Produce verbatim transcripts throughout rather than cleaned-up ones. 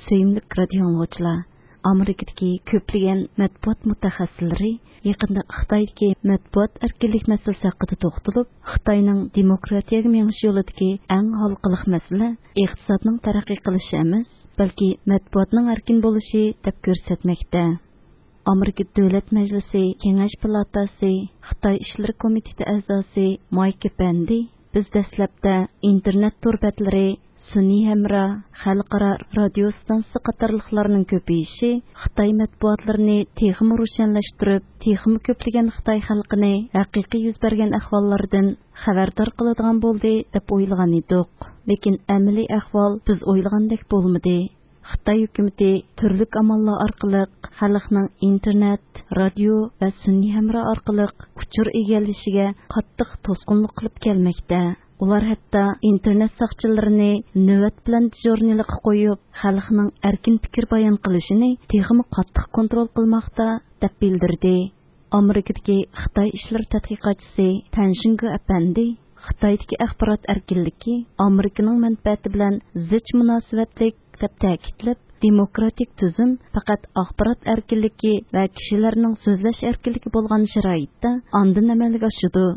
سۆيۈملۈك رادىيو ئاڭلىغۇچىلار، ئامېرىكىدىكى كۆپلىگەن مەتبۇئات مۇتەخەسسىسلىرى يېقىندا خىتايدىكى مەتبۇئات ئەركىنلىك مەسىلىسى ھەققىدە توختىلىپ، خىتاينىڭ دېموكراتىيەگە مېڭىش يولىدىكى ئەڭ ھالقىلىق مەسىلە ئىقتىسادنىڭ تەرەققىي قىلىشى ئەمەس، بەلكى مەتبۇئاتنىڭ ئەركىن بولۇشى دەپ كۆرسەتمەكتە. ئامېرىكا دۆلەت مەجلىسى كېڭەش پالاتاسى خىتاي ئىشلىرى كومىتېتى ئەزاسى مايك ئەپەندى، بىز دەسلەپتە ئىنتېرنېت تور بەتلىرى، سۈنئىي ھەمراھ، خەلقئارا رادىيو ئىستانسىسى قاتارلىقلارنىڭ كۆپىيىشى خىتاي مەتبۇئاتلىرىنى تېخىمۇ روشەنلەشتۈرۈپ، تېخىمۇ كۆپلىگەن خىتاي خەلقىنى ھەقىقىي يۈز بەرگەن ئەھۋاللاردىن خەۋەردار قىلىدىغان بولدى دەپ ئويلىغان ئىدۇق. لېكىن ئەمەلىي ئەھۋال بىز ئويلىغاندەك بولمىدى. خىتاي ھۆكۈمىتى تۈرلۈك ئاماللار ئارقىلىق خەلقنىڭ ئىنتېرنېت، رادىيو ۋە سۈنئىي ھەمراھ ئارقىلىق ئۇچۇر ئىگىلىشىگە قاتتىق توسقۇنلۇق قىلىپ كەلمەكتە. ئۇلار ھەتتا ئىنتېرنېت ساقچىلىرىنى نۆۋەت بىلەن دېژورنىلىققا قويۇپ، خەلقنىڭ ئەركىن پىكىر بايان قىلىشىنى تېخىمۇ قاتتىق كونترول قىلماقتا، دەپ بىلدۈردى. ئامېرىكىدىكى خىتاي ئىشلىرى تەتقىقاتچىسى تەن شىڭگې ئەپەندى خىتايدىكى ئاخبارات ئەركىنلىكى ئامېرىكىنىڭ مەنپەئەتى بىلەن زىچ مۇناسىۋەتلىك دەپ تەكىتلەپ، دېموكراتىك تۈزۈم پەقەت ئاخبارات ئەركىنلىكى ۋە كىشىلەرنىڭ سۆزلەش ئەركىنلىكى بولغان شارائىتتا ئاندىن ئەمەلگە ئاشىدۇ.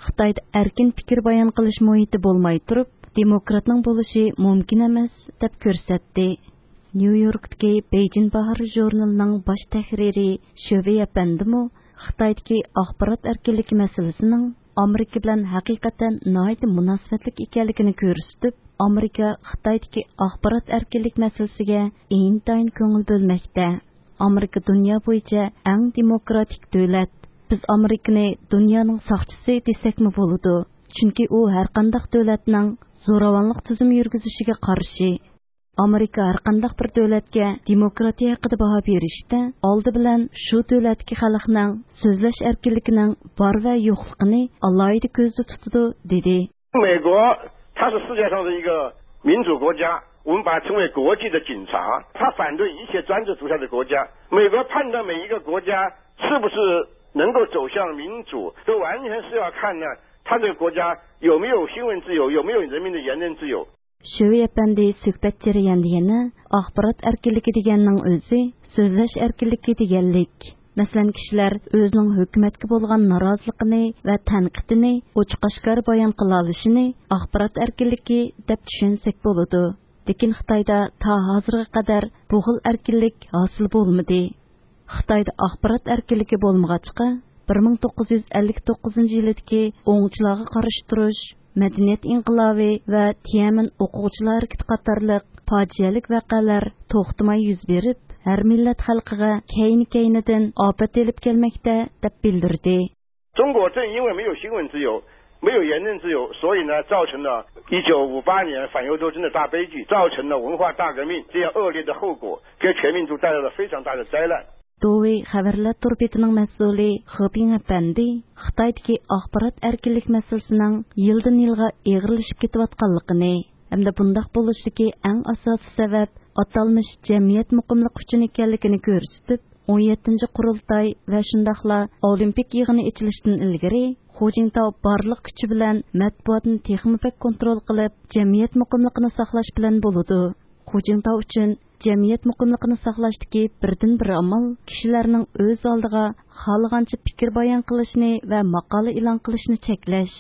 خىتايدا ئەركىن پىكىر بايان قىلىش مۇھىتى بولماي تۇرۇپ، دېموكراتنىڭ بولۇشى مۇمكىن ئەمەس، دەپ كۆرسەتتى. نيۇ يوركتىكى بېيجىڭ باھارى ژۇرنىلىنىڭ باش تەھرىرى شۆۋېي ئەپەندىمۇ خىتايدىكى ئاخبارات ئەركىنلىكى مەسىلىسىنىڭ ئامېرىكا بىلەن ھەقىقەتەن ناھايىتى مۇناسىۋەتلىك ئىكەنلىكىنى كۆرسىتىپ، ئامېرىكا خىتايدىكى ئاخبارات ئەركىنلىك مەسىلىسىگە ئىنتايىن كۆڭۈل بۆلمەكتە. ئامېرىكا دۇنيا بويىچە ئەڭ دېموكراتىك دۆلەت. بىز ئامېرىكىنى دۇنيانىڭ ساقچىسى دېسەكمۇ بولىدۇ. چۈنكى ئۇ ھەرقانداق دۆلەتنىڭ زوراۋانلىق تۈزۈم يۈرگۈزۈشىگە قارشى. ئامېرىكا ھەرقانداق بىر دۆلەتكە دېموكراتىيە ھەققىدە باھا بېرىشتە ئالدى بىلەن شۇ دۆلەتتىكى خەلقنىڭ سۆزلەش ئەركىنلىكىنىڭ بار ۋە يوقلۇقىنى ئالاھىدە كۆزدە تۇتىدۇ، دېدى. 美国它是世界上的一个民主国家，我们把它称为国际的警察，它反对一切专制独裁的国家。美国判断每一个国家是不是能够走向民主，这完全是要看呢，它这个国家有没有新闻自由，有没有人民的言论自由。 شۆۋېي ئەپەندى سۆھبەت جەريانىدا يەنە ئاخبارات ئەركىنلىكى دېگەننىڭ ئۆزى سۆزلەش ئەركىنلىكى دېگەنلىك. مەسىلەن، كىشىلەر ئۆزىنىڭ ھۆكۈمەتكە بولغان نارازىلىقىنى ۋە تەنقىدىنى ئوچۇق-ئاشكارا بايان قىلالىشىنى ئاخبارات ئەركىنلىكى دەپ چۈشەنسەك بولىدۇ. لېكىن خىتايدا تا ھازىرغا قەدەر بۇ خىل ئەركىنلىك ھاسىل بولمىدى. خىتايدا ئاخبارات ئەركىنلىكى بولمىغاچقا، بىر مىڭ توققۇز يۈز ئەللىك توققۇزىنچى يىلىدىكى ئوڭچىلارغا قارشى تۇرۇش، مەدەنىيەت ئىنقىلابى ۋە تيەنئەنمېن ئوقۇغۇچىلار ھەرىكىتى قاتارلىق پاجىئەلىك ۋەقەلەر توختىماي يۈز بېرىپ، ھەر مىللەت خەلقىگە كەينى-كەينىدىن ئاپەت ئېلىپ كەلمەكتە، دەپ بىلدۈردى. 中国正因为没有新闻自由，没有言论自由，所以呢，造成了一九五八年反右斗争的大悲剧，造成了文化大革命这样恶劣的后果，给全民族带来了非常大的灾难。 دوۋېي خەۋەرلەر تور بېتىنىڭ مەسئۇلى خېپىڭ ئەپەندى خىتايدىكى ئاخبارات ئەركىنلىك مەسىلىسىنىڭ يىلدىن يىلغا ئېغىرلىشىپ كېتىۋاتقانلىقىنى ھەمدە بۇنداق بولۇشىدىكى ئەڭ ئاساسىي سەۋەب ئاتالمىش جەمئىيەت مۇقىملىقى ئۈچۈن ئىكەنلىكىنى كۆرسىتىپ، ئون يەتتىنچى قۇرۇلتاي ۋە شۇنداقلا ئولىمپىك يىغىنى ئېچىلىشتىن ئىلگىرى خۇجىنتاۋ بارلىق كۈچى بىلەن مەتبۇئاتنى تېخىمۇ بەك كونترول قىلىپ، جەمئىيەت مۇقىملىقىنى ساقلاش بىلەن بولىدۇ. خۇجىنتاۋ ئۈچۈن جەمئىيەت مۇقىملىقىنى ساقلاشتىكى بىردىنبىر ئامال كىشىلەرنىڭ ئۆز ئالدىغا خالىغانچە پىكىر بايان قىلىشنى ۋە ماقالە ئېلان قىلىشنى چەكلەش.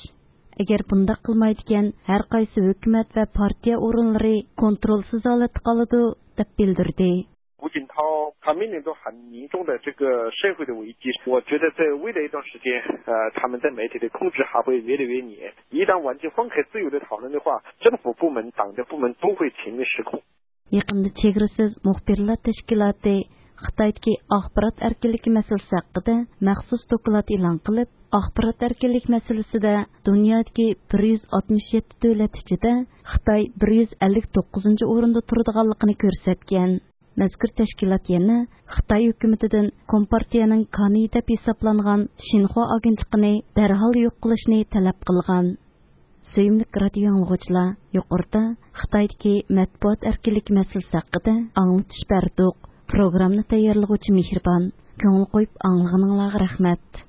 ئەگەر بۇنداق قىلمايدىكەن، ھەر قايسى ھۆكۈمەت ۋە پارتىيە ئورۇنلىرى كونترولسىز ھالەتتە قالىدۇ، دەپ بىلدۈردى. 胡锦涛他面临着很严重的这个社会的危机，我觉得在未来一段时间，呃，他们在媒体的控制还会越来越严。一旦环境放开自由的讨论的话，政府部门、党的部门都会全面失控。 يېقىندا چېگرىسىز مۇخبىرلار تەشكىلاتى خىتايدىكى ئاخبارات ئەركىنلىكى مەسىلىسى ھەققىدە مەخسۇس دوكلات ئېلان قىلىپ، ئاخبارات ئەركىنلىك مەسىلىسىدە دۇنيادىكى بىر يۈز ئاتمىش يەتتە دۆلەت ئىچىدە خىتاي بىر يۈز ئەللىك توققۇزىنچى ئورۇندا تۇرىدىغانلىقىنى كۆرسەتكەن. مەزكۇر تەشكىلات يەنە خىتاي ھۆكۈمىتىدىن كومپارتىيەنىڭ كانىيى دەپ ھېسابلانغان شىنخۇا ئاگېنتلىقىنى دەرھال يوق قىلىشنى تەلەپ قىلغان. سۆيۈملۈك رادىيو ئاڭلىغۇچىلار، يۇقىرىدا خىتايدىكى مەتبۇئات ئەركىنلىكى مەسىلىسى ھەققىدە ئاڭلىتىش بەردۇق. پروگراممىنى تەييارلىغۇچى مېھرىبان. كۆڭۈل قويۇپ ئاڭلىغىنىڭلارغا رەھمەت.